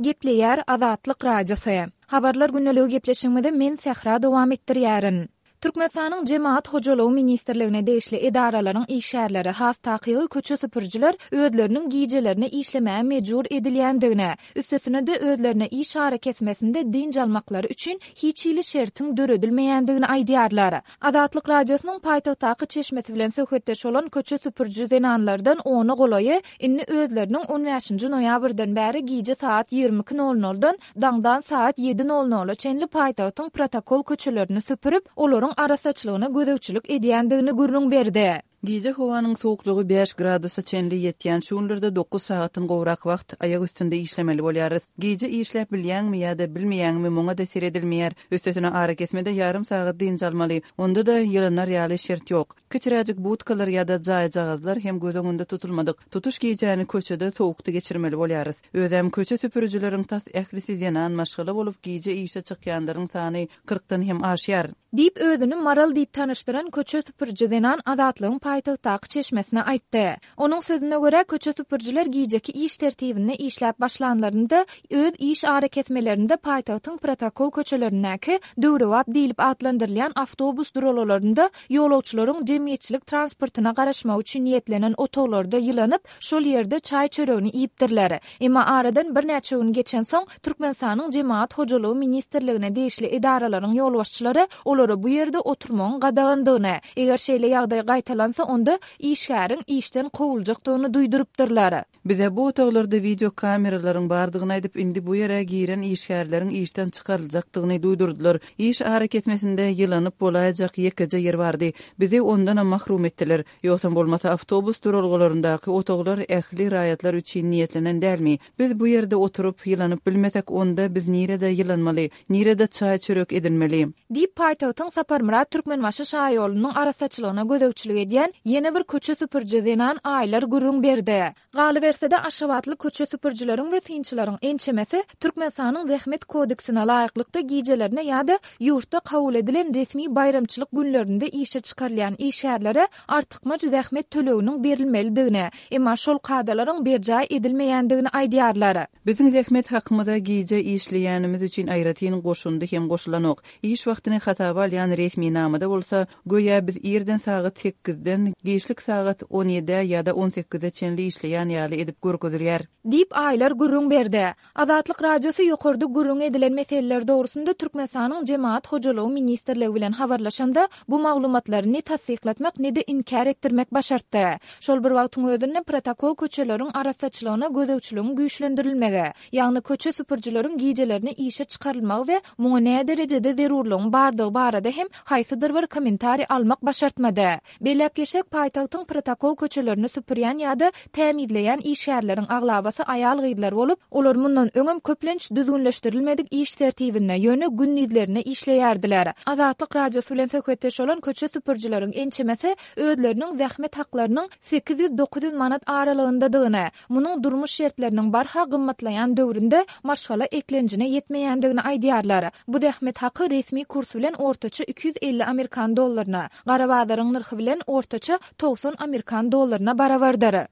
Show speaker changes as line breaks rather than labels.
Gepleýär Azatlyk Radiosy. Habarlar gündeligi gepleşigimizi men Sähra dowam etdirýärin. Türkmenistanyň Jemagat hojalygy ministrligine degişli edaralaryň işgärleri, has takygy köçe süpürijiler özleriniň gijelerine işlemäge mejbur edilýändigini, üstesine-de özlerine iş arakesmesinde dynç almaklary üçin hiç hili şertiň döredilmeýändigini aýdýarlar. Azatlyk Radiosynyň paýtagtdaky çeşmesi bilen söhbetdeş bolan köçe süpüriji zenanlardan ona golaýy indi özleriniň on bäşinji noýabrdan bäri gije sagat 22 nol noldan daňdan sagat ýedi nol nola çenli paýtagtyň protokol köçelerini süpürip, olaryň arassaçylygyna gözegçilik edýändigini gürrüň berdi.
Gije howanyň sowuklygy bäş gradusa çenli ýetýän şu günlerde dokuz sagatdan gowrak wagt aýak üstünde işlemeli bolýarys. Gije işläp bilýäňmi ýa-da bilmeýäňmi muňa-da seredilmeýär. Üstesine arakesmede ýarym sagat dynç almaly. Onda-da ýylanar ýaly şert ýok. Kiçiräjik budkalar ýa-da jaýjagazlar hem göz öňünde tutulmadyk. Tutuş gijäni köçede sowukda geçirmeli bolýarys. Özem köçe süpürijileriň tas ählisi zenan maşgala bolup gije işe çykýanlaryň sany kyrkdan hem aşýar.
Diýip, özüni Maral diýip tanyşdyran köçe süpüriji zenan Azatlygyň paýtagtdaky çeşmesine aýtdy. Onuň sözüne görä, köçe süpürijiler gijeki iş tertibinde işläp başlanlarynda, öz iş arakesmelerinde paýtagtyň protokol köçelerindäki döwrebap diýlip atlandyrylýan awtobus duralgalarynda ýolagçylaryň jemgyýetçilik transportyna garaşmagy üçin niýetlenen otaglarda ýylanyp, şol ýerde çaý-çöregini iýipdirler. Emma aradan birnäçe gün geçensoň, Türkmenistanyň Jemagat hojalygy ministrligine degişli edaralaryň ýolbaşçylary olara bu ýerde oturmagyň gadagandygyny, eger şeýle ýagdaý gaýtalansa, onda işgäriň işden kowuljakdygyny duýdurypdyrlar.
Bize bu otaglarda wideokameralaryň bardygyny aýdyp, indi bu ýere giren işgärleriň işden çykaryljakdygyny duýdurdylar. Iş arakesmesinde ýylanyp bolaýjak ýekeje ýer bardy. Bizi ondanam mahrum etdiler. Ýogsam bolmasa awtobus duralgalaryndaky otaglar ähli raýatlar üçin niýetlenen dälmi? Biz bu ýerde oturyp, ýylanyp bilmesek, onda biz nirede ýylanmaly? Nirede çaý-çörek edinmeli?
Diýip, paýtagtyň Saparmyrat Türkmenbaşy şaýolunyň arassaçylygyna gözegçilik edýän ýene bir köçe süpüriji zenan Aýlar gürrüň berdi. Galyberse-de, aşgabatly köçe süpürijileriň we synçylaryň ençemesi Türkmenistanyň Zähmet kodeksine laýyklykda gijelerine ýa-da ýurtda kabul edilen resmi baýramçylyk günlerinde işe çykarylýan işgärlere artykmaç zähmet töleginiň berilmelidigini, emma şol kadalaryň berjaý edilmeýändigini aýdýarlar.
Biziň zähmet hakymyza gije işleýänimiz üçin aýratyn goşundy hem goşulanok. Iş wagtyny hasaba alýan resminamada bolsa, göýä biz irden sagat sekizden giçlik sagat on ýedä ýa-da on sekize çenli işleýän ýaly edip görkezilýär.
Diýip, Aýlar gürrüň berdi. Azatlyk Radiosy ýokarda gürrüňi edilen meseleler dogrusynda Türkmenistanyň Jemagat hojalygy ministrligi bilen habarlaşanda, bu maglumatlary ne tassyklatmak, ne-de inkär etdirmek başartdy. Şol bir wagtyň özünde protokol köçeleriň arassaçylygyna gözegçiligiň güýçlendirilmegi, ýagny köçe süpürijileriň gijelerine işe çykarylmagy we muňa näderejede zerurlygyň bardygy barada hem haýsydyr bir kommentariý almak başartmady. Belläp geçsek, paýtagtyň protokol köçelerini süpürýän ýa-da tämizleýän işgärleriň aglabasy aýal-gyzlar bolup, olar mundan öňem köplenç düzgünleşdirilmedik iş tertibinde, ýöne gündizlerine işleýärdiler. Azatlyk Radiosy bilen söhbetdeş bolan köçe süpürijileriň ençemesi özleriniň zähmet haklarynyň 800-900 manat aralygyndadygyny, munuň durmuş şertleriniň barha gymmatlaýan döwründe maşgala eklenjine ýetmeýändigini aýdýarlar. Bu zähmet haky resmi kurs bilen ortaça 250 amerikan dollaryna, gara bazaryň nyrhy bilen ortaça 90 amerikan dollaryna barabardyr.